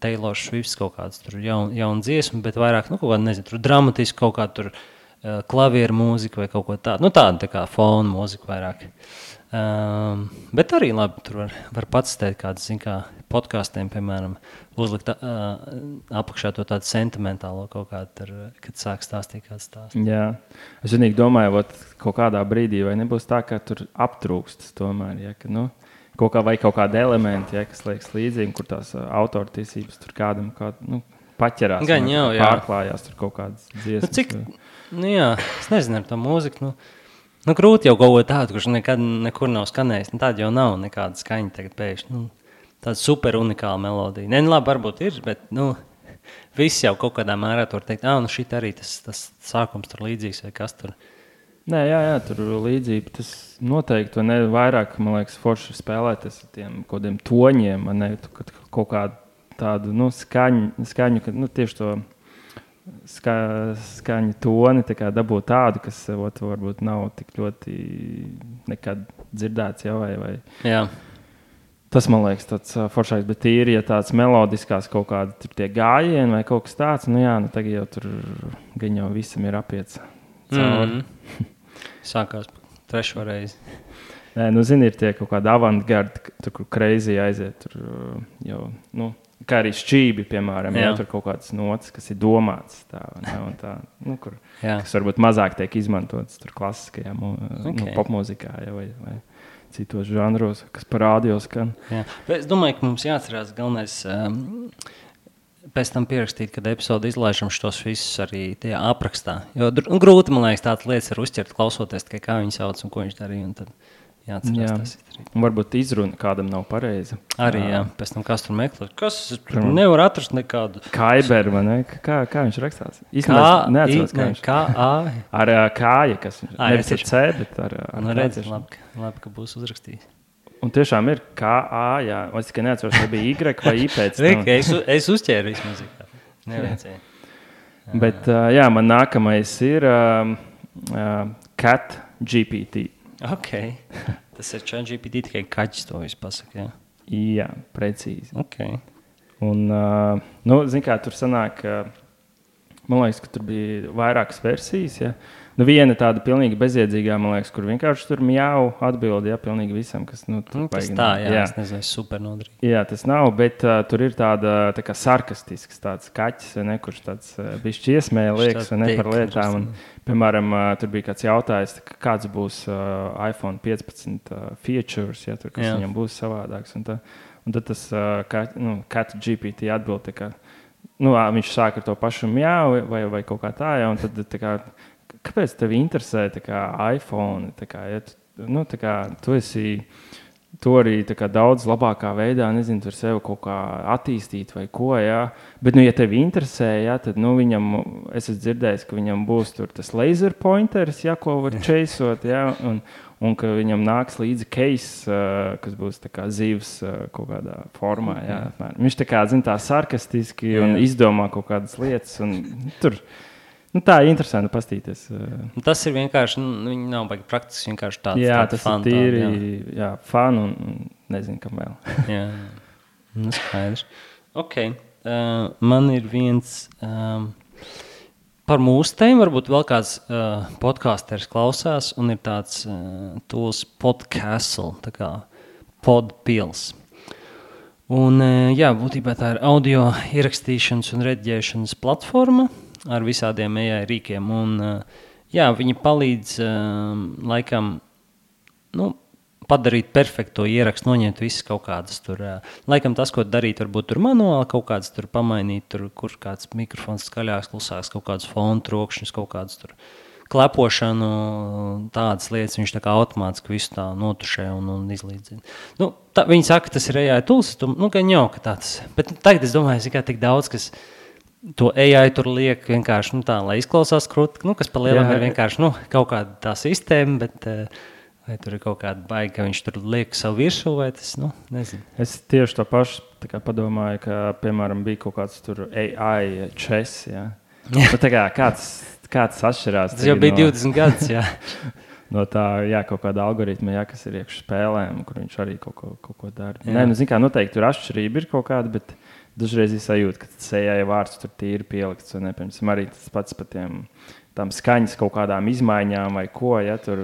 Taylor Swift kaut kāds tur jauna dziesma, bet vairāk, kaut kāda, nezinu, tur dramatisku kaut kādu tur klavieru mūziku vai kaut ko tādu, tādu tā kā fonu mūziku vairāk. Bet arī labi, tur var pats teikt kādas, podkāstiem, piemēram, uzlikt apakšā to tādu sentimentālo kaut kādu, tur, kad sāk stāstīt kāds stāsts. Jā, es vienīgi domāju, kaut kādā brīdī vai nebūs tā, ka tur aptrūkst tomēr, ka, kaut kādi elementi, kas liekas līdzīgi, kur tās autortiesības tur kādam paķerās, pārklājās tur kaut kādas dziesmas. Es nezinu ar to mūziku, grūti jau kaut ko tādu, kurš nekad nekur nav skanējis. Tāda jau nav nekāda skaņa tagad pēkšņi. Tāda super unikāla melodija. Labi, varbūt ir, bet viss jau kaut kādā mērā tur teikt, šit arī tas sākums tur līdzīgs vai kas tur. Nē, jā, tur līdzība. Tas noteikti vairāk, man liekas, forši spēlēties ar tiem kodiem toņiem, kaut kādu tādu skaņu, kad tieši to skaņu toni dabūt tādu, kas varbūt nav tik ļoti nekad dzirdēts vai. Jā. Tas, man liekas, tāds foršāks, bet tīri, ja tāds melodiskās kaut kādi tie gājieni vai kaut kas tāds, tagad jau tur gan jau visam ir apiets cauri. Sākās trešo reizi. Nē, nu, zini, ir tie kaut kādi avantgardi, tur, kur crazy aiziet. Tur jau, nu, kā arī šķībi, piemēram, ja tur kaut kāds nots, kas ir domāts tā, un tā, nu, kas varbūt mazāk tiek izmantots tur klasiskajā popmūzikā, ja, vai citos žanros, kas parādījos skan. Jā. Es domāju, ka mums jāatcerās galvenais pēc tam pierakstīt, kad epizodi izlaižam šos visus arī tajā aprakstā. Jo grūti, man liekas, tādas lietas var uzķert, klausoties tikai kā viņi sauc un ko viņš darīja, un tad jāatcerās tas ir. Un varbūt izruna kādam nav pareiza. Arī, pēc tam kas tur meklē. Kas nevar atrast nekādu. Kaiber, vai ne? Kā viņš rakstās? Neatceros, kā viņš. K-A. Ar kāja, kas nevis ar C, bet ar redzi, labi, ka būs uzrakstījis. Un tiešām ir K-A, jā. Es tikai neatceros, vai bija Y vai I pēc tam. Es uzķēru vismaz. Neviecēju. Bet, jā, man nākamais ir Cat GPT. Ok. Tas ir ChatGPT, tikai kaķis to visu pasaka, jā? Jā, precīzi. Ok. Un, nu, zin kā, tur sanāk, man liekas, ka tur bija vairākas versijas, ja. Nu, viena tāda pilnīgi bezjēdzīgā, man liekas, kur vienkārši tur mjau atbildi, ja, pilnīgi visam, kas, nu, tur tas tā, jā, es nezinu, super nodrīgi. Jā, tas nav, bet tur ir tāda, tā kā sarkastisks tāds kaķis, vai ne, kurš tāds bišķi iesmēja liekas, vai ne, par lietām. Un, piemēram, tur bija kāds jautājums, kāds būs iPhone 15 features, ja, tur, kas viņam būs savādāks. Un tad tas Cat GPT atbild, tā kā, nu, viņš sāk ar to pašu mjau vai kaut kā tā, ja, un tad tā kā, kāpēc tev interesē tā kā iPhone? Tā kā, ja tu esi to arī tā kā daudz labākā veidā, nezinu, tur sevi kaut kā attīstīt vai ko, jā. Bet, nu, ja tevi interesē, jā, tad, nu, viņam, es esmu dzirdējis, ka viņam būs tur tas laser pointers, jā, ko var chaseot, jā, un ka viņam nāks līdzi case, kas būs tā kā zivs kaut kādā formā, jā. Viņš tā kā, zin, tā sarkastiski un izdomā kaut kādas lietas, un tur... Nu, tā ir interesanti pastīties. Tas ir vienkārši, viņi nav baigi praktiski, vienkārši tāds jā, tas fan, ir tīri, jā, fan un nezinu, kam vēl. Jā, nu skaidrs. Ok, man ir viens par mūsu tēmu, varbūt vēl kāds podcasteris klausās, un ir tāds tools Podcastle, tā kā Podpils. Un, jā, būtībā tā ir audio ierakstīšanas un rediģēšanas platforma, ar visādiem AI rīkiem. Un, jā, viņi palīdz laikam padarīt perfekto ierakstu, noņemt visas kaut kādas tur. Laikam tas, ko darīt, varbūt tur manuāli kaut kādas tur pamainīt, tur, kur kāds mikrofons skaļāks, klusāks, kaut kādas fonu trokšņus, kaut kādas tur klepošanu, tādas lietas, viņš tā kā automātiski visu tā notušē un izlīdzina. Nu, viņi saka, tas ir AI tools, gan jau, ka tāds. Bet tagad es domāju, ka tik daudz, kas to AI tur liek vienkārši tā, lai izklausās krūti, kas pa lielam ir vienkārši kaut kāda tā sistēma, bet vai tur ir kaut kāda baigi, ka viņš tur liek savu virsū, vai tas, nezinu. Es tieši to pašu tā kā padomāju, ka, piemēram, bija kaut kāds tur AI chess, jā. Bet tā kā kāds atšķirās. Tas jau bija 20 gadus, jā. No tā, jā, kaut kāda algoritma, jā, kas ir iekš spēlēm, kur viņš arī kaut ko dara. Nē, nu, zin kā, noteikti tur atšķirība ir kaut kāda, bet dažreiz ir sajūta, ka tas AI vārds tur tīri pielikts, un, piemēram, arī tas pats par tām skaņas kaut kādām izmaiņām vai ko, ja, tur,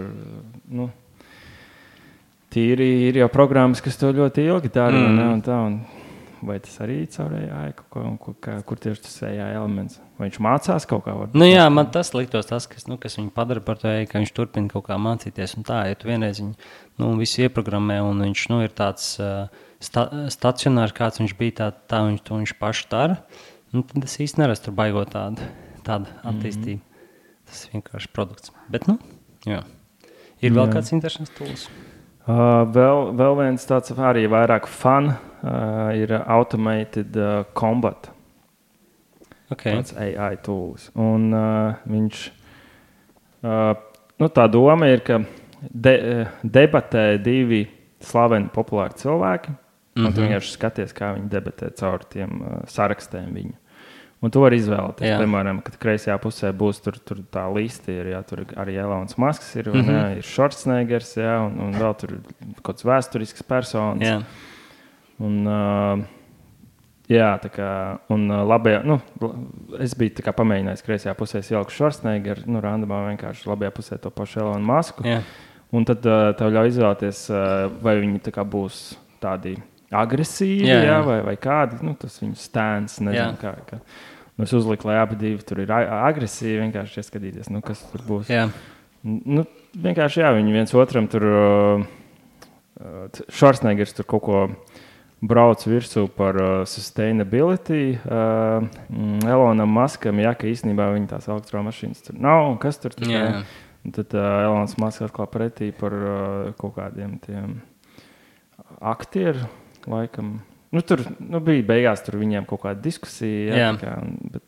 tīri ir jau programmas, kas to ļoti ilgi dara, un tā, un vai tas arī caur AI kaut ko, kur tieši tas AI elements? Vai viņš mācās kaut kā? Nu jā, man tas liktos tas, kas viņu padara par to AI, ka viņš turpina kaut kā mācīties, un tā, ja tu vienreiz viņu visu ieprogrammē, un viņš ir tāds stacionārs, kāds viņš bija, tā viņš pašu dara, tad es īsti neredzu tur baigot tādu attīstību. Tas ir vienkārši produkts. Bet, jā. Ir vēl kāds interesants tools? Vēl viens tāds arī vairāk fun ir Automated Combat. Okay. Tāds AI tools. Un viņš, tā doma ir, ka debatē divi slaveni populāri cilvēki, un tu vienkārši skaties, kā viņi debatē caur tiem sarakstiem viņu. Un tu vari izvēlēties, piemēram, kad kreisajā pusē būs tur tā lista, tur arī Elonas Masks ir, ir Schwarzeneggers, un vēl tur kaut kāds vēsturisks personas. Jā. Un, tā kā, un labajā, es biju tā kā pamēģinājis kreisajā pusē ieliku Schwarzeneggeru, randomā vienkārši labajā pusē to pašu Elonu Masku. Jā. Un tad tev ļauj izvēlēties, vai viņi tā kā būs tādi agresīvi, vai kādi, tas viņu stēns, nezinu kā. Es uzliku, lai abi divi tur ir agresīvi, vienkārši ieskatīties, kas tur būs. Jā. Vienkārši, viņi viens otram tur, Schwarzeneggers tur kaut ko brauc virsū par sustainability. Elonam Muskam, ka īstenībā viņa tās elektromašīnas tur nav, un kas tur tikai. Tad Elons Musks atklāja pretī par kaut kādiem tiem aktieru laikam. Tur bija beigās tur viņiem kaut kāda diskusija. Bet,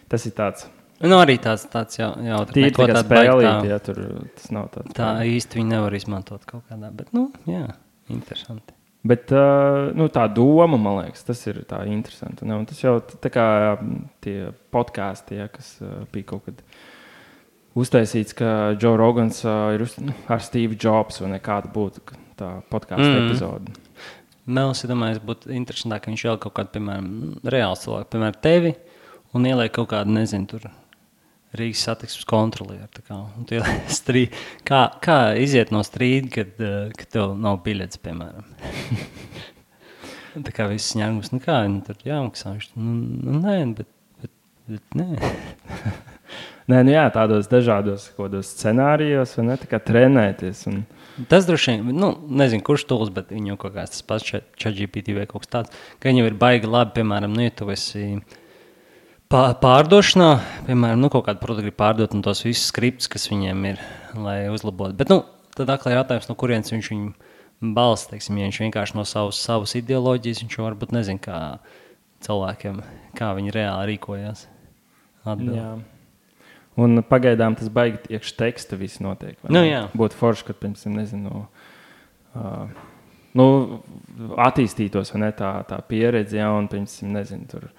tas ir tāds. Arī tāds jautājums. Tīri tā spēlīt, tur tas nav tāds. Tā īsti viņi nevar izmantot kaut kādā, bet, interesanti. Bet tā doma, man liekas, tas ir tā interesanti. Un tas jau tā kā tie podkāsti, kas bija kaut kad uztaisīts, ka Joe Rogans ir ar Steve Jobs vai nekāda būtu tā podkāstu epizode. Mēlis, domāju, būtu interesantāk, ka viņš vēl kaut kādu, piemēram, reāls cilvēku, piemēram, tevi, un ieliek kaut kādu, nezinu, tur Rīgas satiksmes kontrolieru. Kā iziet no strīda, kad tev nav biļetes, piemēram? Tā kā viss ņēmums, kā viņi tur jāmaksā? Nē, bet nē. Nē, tādos dažādos scenārijos, vai ne, tā kā trenēties. Tas droši vien, nezinu, kurš tools, bet viņu kaut kāds tas pats ChatGPT vai kaut kas tāds, ka viņi ir baigi labi, piemēram, ja tu esi pārdošanā, piemēram, kaut kādu produktu pārdot un tos visus skriptus, kas viņiem ir, lai uzlabotu. Bet, tad aklā jautājums, no kurienes viņš viņu balsta, teiksim, ja viņš vienkārši no savas ideoloģijas, viņš varbūt nezin, kā cilvēkiem, kā viņi reāli rīkojās. Atbild. Jā. Un pagaidām tas baigi iekš teksta viss notiek. Būtu forši, kad, piemēram, nezinu, attīstītos, vai ne, tā pieredze, un, piemēram, nezinu, tur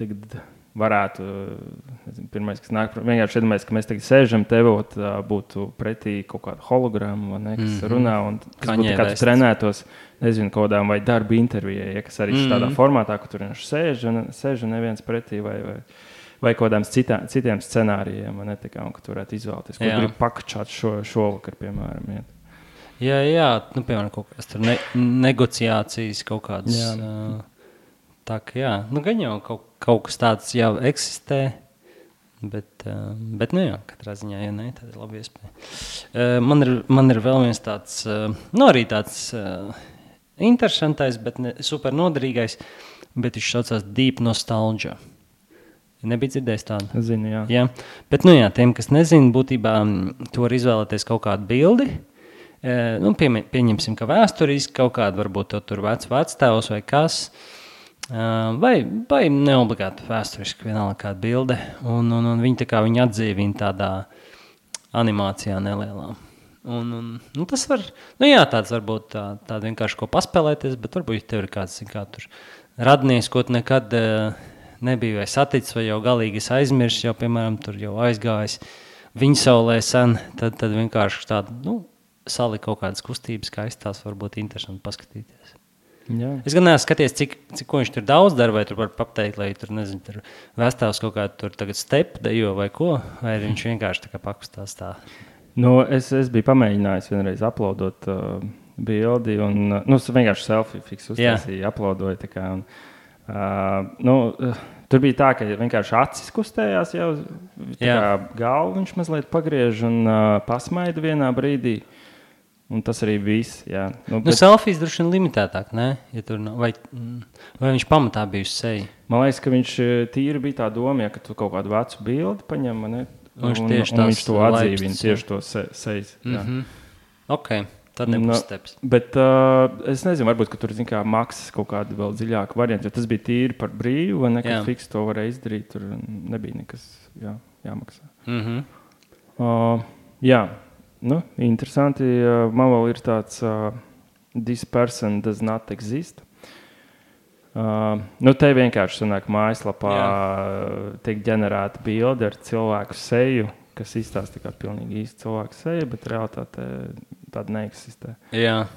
tagad varētu, nezinu, pirmais, kas nāk, vienkārši iedomājies, ka mēs tagad sēžam tevot, būtu pretī kaut kāda holograma, vai ne, kas runā, un kas būtu kāds trenētos, nezinu, kodām vai darba intervijai, kas arī tādā formātā, ka tur viņš sēž un neviens pretī, vai kaut kādām citiem scenārijiem, un ka tu varētu izvēlēties, ko gribi pakačāt šovakar, piemēram. Jā, piemēram, kaut kādas tur negociācijas, kaut kādas. Tā kā, gan jau kaut kas tāds jau eksistē, bet katrā ziņā, ja ne, tad ir labi iespēja. Man ir vēl viens tāds, arī tāds interesantais, bet ne super noderīgais, bet viņš saucās Deep Nostalgia. Nebija dzirdējis tādu? Zinu, jā. Jā. Bet, tiem, kas nezina, būtībā tu vari izvēlēties kaut kādu bildi. Pieņemsim, ka vēsturiski kaut kādu, varbūt tur vectēvs vai kas, vai neobligāti vēsturiski vienalga kāda bilde. Un viņi tā kā viņi atdzīvina tādā animācijā nelielā. Un tas var, tāds varbūt tāda vienkārši ko paspēlēties, bet varbūt tev ir kāds tur radnieks, ko tu nekad nebija vai saticis, vai jau galīgi aizmirsis, jau, piemēram, tur jau aizgājis viņa saulē sen, tad vienkārši tādu, salikt kaut kādas kustības, kā izstās, varbūt interesanti paskatīties. Jā. Es gan neesmu skaties, cik ko viņš tur daudz dara, vai tur var pateikt, lai tur, nezinu, tur vēstāvs kaut kādu tur tagad stepu dejo vai ko, vai viņš vienkārši tā kā pakustās tā. Es biju pamēģinājis vienreiz uploadot bildi, un, vienkārši selfie fiks uztaisīju, uploadoju, tā kā, un, tur bija tā, ka vienkārši acis kustējās jau, tā kā galvu viņš mazliet pagriež un pasmaida vienā brīdī. Un tas arī viss, jā. Selfijas droši vien limitētāk, ne? Ja tur nav, vai viņš pamatā bija uz seju? Man liekas, ka viņš tīri bija tā doma, ka tu kaut kādu vecu bildi paņem, ne? Un viņš to atdzīvina, tieši to sejas. Ok, tad nebūs steps. Bet es nezinu, varbūt, ka tur, kā maksas kaut kāda vēl dziļāka varianta, jo tas bija tīri par brīvu, vai nekad fiks to varēja izdarīt, tur nebija nekas jāmaksā. Jā. Interesanti. Man vēl ir tāds this person does not exist. Te vienkārši sanāk mājaslapā tiek ģenerēta bilde ar cilvēku seju, kas izstāsta kā pilnīgi īsti cilvēku seja, bet realitāte tāda neeksistē. Jā,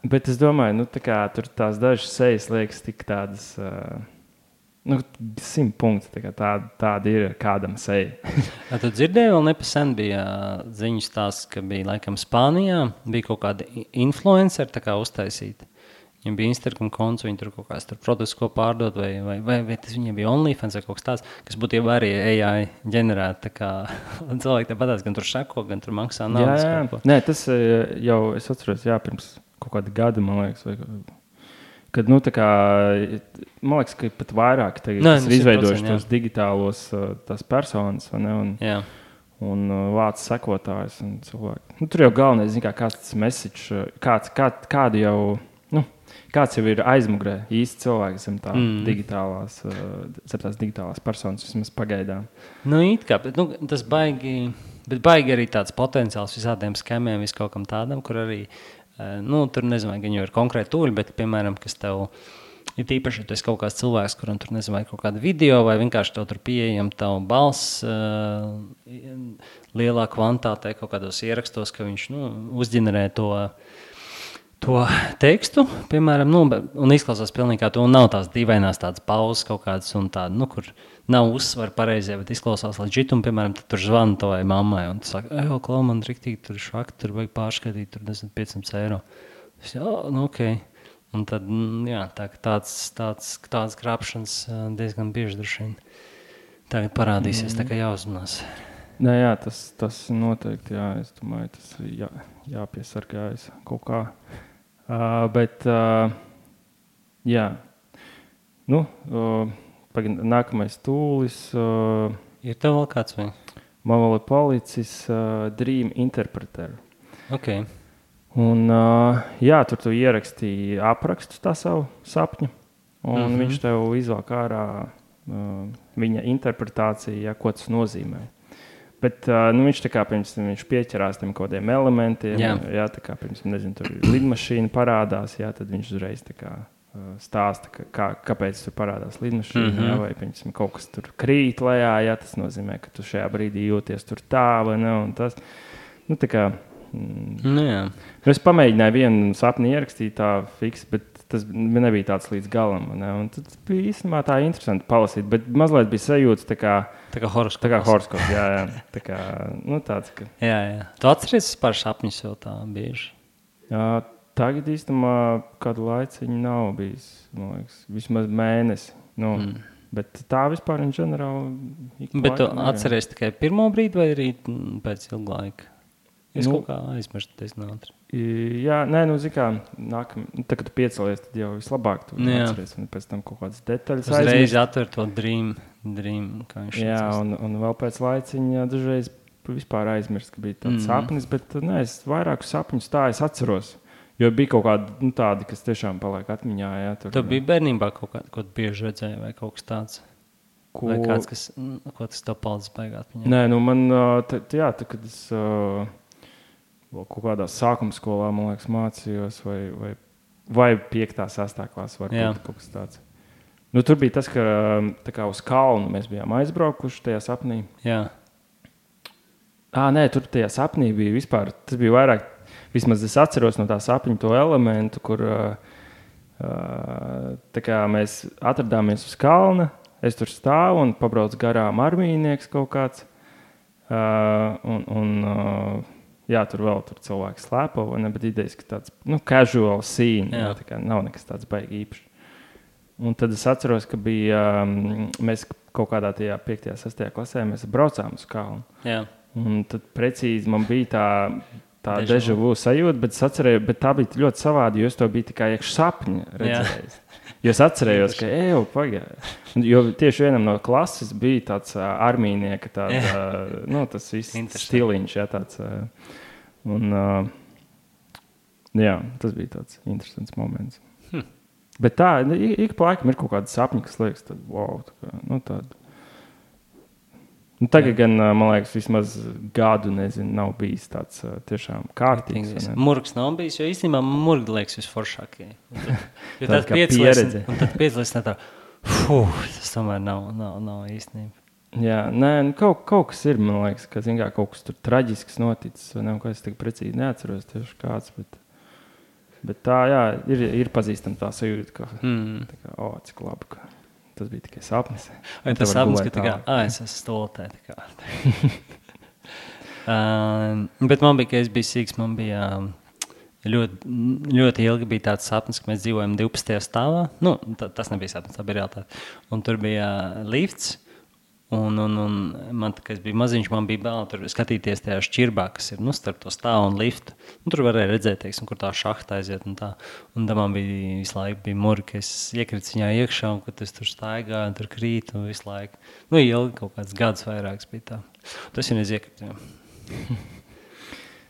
bet es domāju, tā kā tur tās dažas sejas liekas tik tādas 100 punkti. Tāda ir kādam seja. Tu dzirdēji, vēl nepasen bija ziņas stāsts, ka bija laikam Spānijā, bija kaut kāda influenceri tā kā uztaisīta. Viņam bija Instagram konts, viņi tur kaut kāds produkts, ko pārdod, vai tas viņiem bija OnlyFans vai kaut kas tāds, kas būtu jau arī AI ģenerēta. Cilvēki tāpatās gan tur šako, gan tur maksā naudas. Jā. Nē, tas jau, es atceros, pirms kaut kāda gada, man liekas, vai kad, tā kā, man liekas, ka pat vairāk tagad ir izveidojuši tos digitālos tās personas, vai ne, un vāc sekotājus un cilvēki. Tur jau galvenais, zin kā, kāds tas message, kādu jau, kāds jau ir aizmugurē īsti cilvēki zem tā digitālās personas, vismaz pagaidām. It kā, bet tas baigi arī tāds potenciāls visādiem skemiem, viskaut kam tādam, kur arī tur nezinu, vai viņi ir konkrēti tūļi, bet, piemēram, kas tev ir tīpaši, ja tu esi kaut kāds cilvēks, kuram tur nezinu, vai kaut kāda video, vai vienkārši tev tur pieejam tavu balss lielā kvantātē kaut kādos ierakstos, ka viņš, uzģenerē to tekstu, piemēram, un izklausās pilnīgi kā to, un nav tās dīvainās tādas pauzes kaut kādas, un tāda, kur nav uzsvar pareizie, bet izklausās legit, un, piemēram, tad tur zvana tavai mammai, un tu saka, klau, man riktīgi, tur švaki, tur vajag pārskaitīt, tur 500 eiro. Es ok. Un tad, tāds krāpšanas diezgan bieži droši vien tagad parādīsies, tā kā jāuzmanās. Nē, tas noteikti, es domāju, tas jāpiesargājas kaut kā. Bet, nākamais tūlis. Ir tev vēl kāds vai? Man vēl ir palicis Dream Interpreter. Ok. Un, tur tu ieraksti aprakstu tā savu sapņu, un viņš tev izvelk ārā viņa interpretāciju, ko tas nozīmē. Bet viņš tā kā viņš pieķerās tiem kaut kādiem elementiem, tā kā tur lidmašīna parādās, tad viņš uzreiz tā kā stāsta, kāpēc tur parādās lidmašīna, vai kaut kas tur krīt lejā, tas nozīmē, ka tu šajā brīdī jūties tur tā, vai ne, un tas, tā kā, es pamēģināju vienu sapni ierakstīt tā fiks, bet tas nebija tāds līdz galam, ne, un tad bija īstenībā tā interesanti palasīt, bet mazliet bija sajūtas tā kā horoskops, jā, tā kā, tāds, ka... Jā. Tu atceries par sapņus jau tā bieži? Tagad īstenībā kādu laiciņu nav bijis, man liekas, vismaz mēnesi, bet tā vispār in ģenerāli... Bet tu atceries tikai pirmo brīdi vai arī pēc ilga laika? Es kaut kā aizmirstu, tas nātri. Jā, kā, tā, kad tu piecelies, tad jau vislabāk tu atceries, un pēc tam kaut kādas detaļas aizmirst. Uzreiz atver to dream, kā viņš un vēl pēc laiciņa dažreiz vispār aizmirst, ka bija tāds sapnis, bet es vairākus sapņus tā es atceros, jo bija kaut kādi tādi, kas tiešām paliek atmiņā. Tu bija bērnībā kaut ko bieži redzēji vai kaut kas tāds? Vai kāds, ko tas tev palicis baigā atmiņā? Nē, man, kad es... kaut kādā sākuma skolā, man liekas, mācījos, vai 5. 6. klasa varbūt kaut kas tāds. Tur bija tas, ka tā kā uz kalnu mēs bijām aizbraukuši tajā sapnī. Jā. Nē, tur tajā sapnī bija vispār, tas bija vairāk, vismaz es atceros no tā sapņa to elementu, kur tā kā mēs atradāmies uz kalna, es tur stāvu un pabrauc garām armijnieks kaut kāds, tur vēl cilvēki slēpo, bet idejas, ka tāds, casual scene, tā kā nav nekas tāds baigi īpašs. Un tad es atceros, ka bija, mēs kaut kādā tajā 5. 6. klasē, mēs braucām uz kalnu. Jā. Un tad precīzi man bija tā deja vu sajūta, bet es atcerēju, bet tā bija ļoti savādi, jo es to biju tikai iekš sapņa redzējis. Jo es atcerējos, ka pagāja. Jo tieši vienam no klases bija tāds armijnieka, tas viss stiliņš, tāds. Un, tas bija tāds interesants moments. Bet tā, ik pa laikam ir kaut kāda sapņa, kas liekas, tad, wow, tāda. Tagad gan, man liekas, vismaz gadu, nav bijis tāds tiešām kārtīgs. Murgs nav bijis, jo īstenībā murgi liekas visforšākie. Jo tad pieredze. Un tad piedalīs tā, tas tomēr nav īstenība. Jā, kaut kas ir, man liekas, ka, kaut kas tur traģisks noticis, vai ko es tik precīzi neatceros tieši kāds, bet tā, ir pazīstama tā sajūta, ka, cik labi, ka tas bija tikai sapnis. Vai tas sapnis, ka es esmu stoltē. Bet man bija, ka es biju sīgs, man bija ļoti ilgi bija tāds sapnis, ka mēs dzīvojam 12. stāvā. Nu, tas nebija sapnis, tā bija realitāte. Un tur bija lifts. Un man, kad es biju maziņš, man bija bail tur skatīties tajā šķirbā, kas ir starp to stāvu un liftu. Tur varēja redzēt, teiksim, kur tā šahta aiziet un tā. Un tā man bija visu laiku bija muri, ka es iekritu viņā iekšā un kad es tur staigāju un tur krītu un visu laiku. Ilgi kaut kāds gads vairāks bija tā. Tas jau iekritu.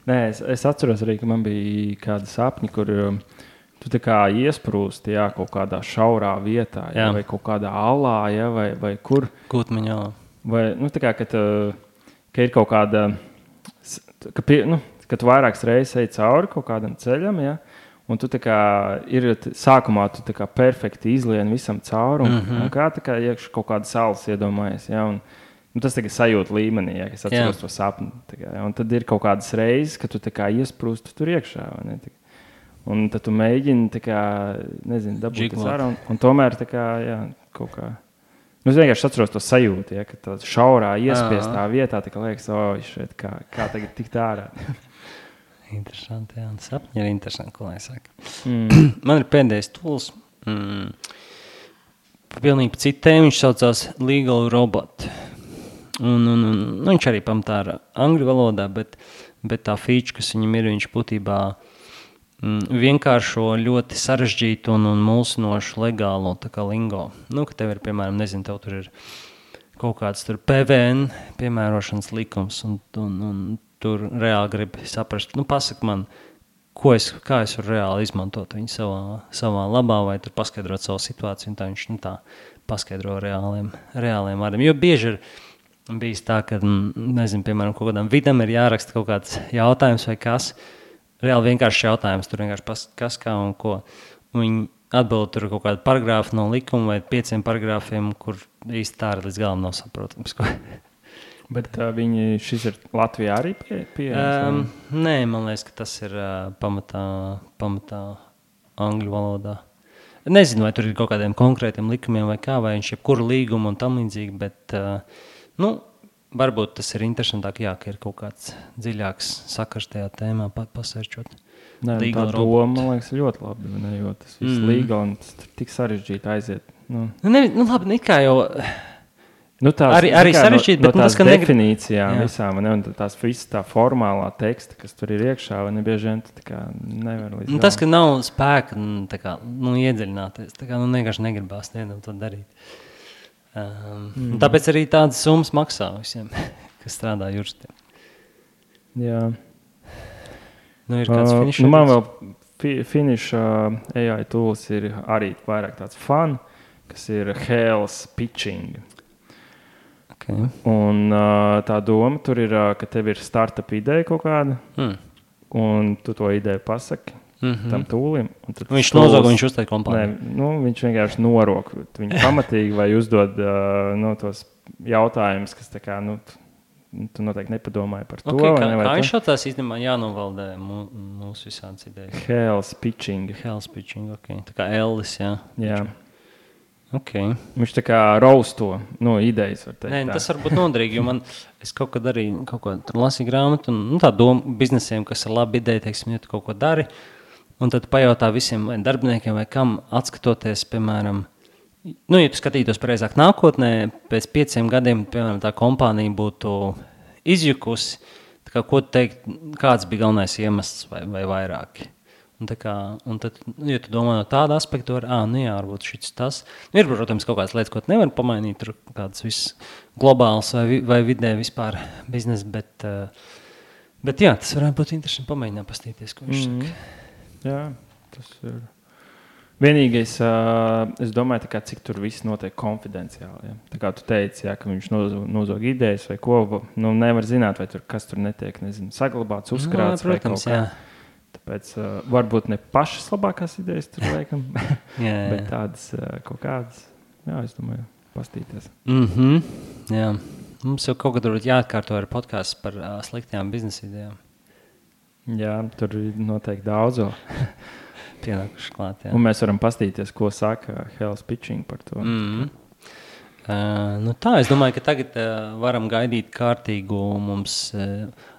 Nē, es atceros arī, ka man bija kādi sapņi, kur tu tā kā iesprūsti kaut kādā šaurā vietā, vai kaut kādā alā, vai kur. Kūtmiņā. Vai, tā kā, ka ir kaut kāda, ka tu vairākas reizes ej cauri kaut kādam ceļam, un tu tā kā sākumā tu tā kā perfekti izlieni visam cauri, un kā iekšā kaut kāda salas iedomājies, un tas tagad sajūta līmenī, ka es atceros to sapni. Un tad ir kaut kādas reizes, ka tu tā kā iesprūsti tur iekšā, vai ne? Un tad tu mēģini, dabūt tas ārā, un tomēr kaut kā. Es vienkārši atceros to sajūtu, ka tā šaurā iespiestā vietā, liekas, šeit kā tagad tikt ārā. Interesanti, jā. Sapņi ir interesanti, ko lai saka. Man ir pēdējais tools. Pilnīgi citu tēmu, viņš saucās Legal Robot. Un viņš arī pamatā ar angļu valodā, bet tā feature, kas viņam ir, viņš būtībā vienkāršo ļoti sarežģītu un mulsinošu legālo tā kā lingo. Ka tev ir, piemēram, tev tur ir kaut kāds tur PVN piemērošanas likums un tur reāli gribi saprast, pasaka man, kā es varu reāli izmantot viņu savā labā vai tur paskaidrot savu situāciju, un tā viņš tā paskaidro reāliem vārdiem. Jo bieži ir bijis tā, ka, piemēram, kaut kādam vidam ir jāraksta kaut kāds jautājums vai kas. Reāli vienkārši jautājums, tur vienkārši kas, kā un ko. Viņi atbild tur kaut kādu paragrāfu no likuma vai 5 paragrāfiem, kur īsti tā arī līdz galam nav saprotams. Bet šis ir Latvijā arī pieejams? Nē, man liekas, ka tas ir pamatā angļu valodā. Nezinu, vai tur ir kaut kādiem konkrētiem likumiem vai kā, vai viņš jebkuru līgumu un tam līdzīgi, bet varbūt tas ir interesantāk, ka ir kaut kāds dziļāks sakars tajā tēmā pasērčot. Nē, tā doma, man liekas, ļoti labi, jo tas viss līgā un tas tik sarežģīti aiziet. Labi, kā jau arī sarežģīti, bet tās definīcijām visām, un tās visas tā formālā teksta, kas tur ir iekšā, vai nebieži vien tu nevar līdz tas, ka nav spēka iedziļināties, vienkārši negribās to darīt. Tāpēc arī tādas summas maksā visiem, kas strādā juristiem. Jā. Ir kāds finish? Man vēl finish AI tools ir arī vairāk tāds fun, kas ir Hell's Pitching. Okay. Un tā doma tur ir, ka tev ir startup ideja kaut kāda, un tu to ideju pasaki. Tam tūlim. Viņš nozog, viņš uztaid kompāniju. Nē, viņš vienkārši norok viņu pamatīgi vai uzdod tos jautājumus, kas tā kā, tu noteikti nepadomāji par to. Kā viņš šāds īstenībā jānovaldē mūsu visādas idejas? Hell's Pitching. Okay. Tā kā Ellis, jā. Jā. Okay. Viņš tā kā rausto idejas, var teikt. Nē, tas varbūt noderīgi, jo es kaut kad arī lasīju grāmatu, un tā doma biznesiem, kas ir laba ideja, teiksim, ja tu kaut ko dari, un tad pajautā visiem vai darbiniekiem vai kam atskatoties, piemēram, ja tu skatītos pareizāk nākotnē, pēc 5 gadiem, piemēram, tā kompānija būtu izjukusi, tā kā, ko teikt, kāds bija galvenais iemesls vai vairāki. Un tad, ja tu domā no tāda aspekta, varbūt šis tas. Ir, protams, kaut kādas lietas, ko tu nevar pamainīt, tur kāds viss globāls vai vidē vispār biznesa, bet jā, tas varētu būt interesanti pamēģināt pastīties, ko viņš saka. Jā, tas ir. Vienīgais, es domāju, cik tur viss notiek konfidenciāli. Ja? Tā kā tu teici, ka viņš nozog idejas vai ko, nevar zināt, vai kas tur netiek, saglabāts, uzkrāts vai kaut kā. Tāpēc varbūt ne pašas labākās idejas tur liekam, bet tādas kaut kādas, es domāju, pastīties. Jā, mums jau kaut kad varbūt jāatkārto ar podcasts par sliktajām biznesa idejām. Jā, tur ir noteikti daudz. Pienākuši klāt, jā. Un mēs varam pastīties, ko saka Hell's Pitching par to. Es domāju, ka tagad varam gaidīt kārtīgu mums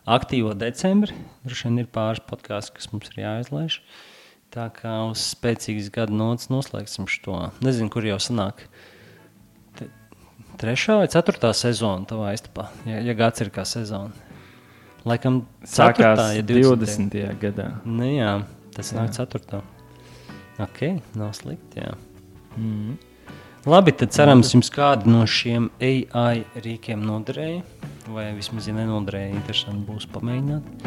aktīvo decembri. Droši vien ir pāris podkāsti, kas mums ir jāizlaiž. Tā kā uz spēcīgas gada nots noslēgsim šo. Nezinu, kur jau sanāk 3. vai 4. sezona tavā istapā, ja gads ir kā sezona. Laikam 4. Sākās ja 20. gadā. Nu jā, tas nāk 4. Ok, nav slikti, jā. Labi, tad cerams jums kādu no šiem AI rīkiem noderēja, vai vismaz, ja nenoderēja, interesanti būs pamēģināt.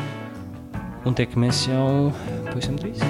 Un tiekamies jau pavisam drīz.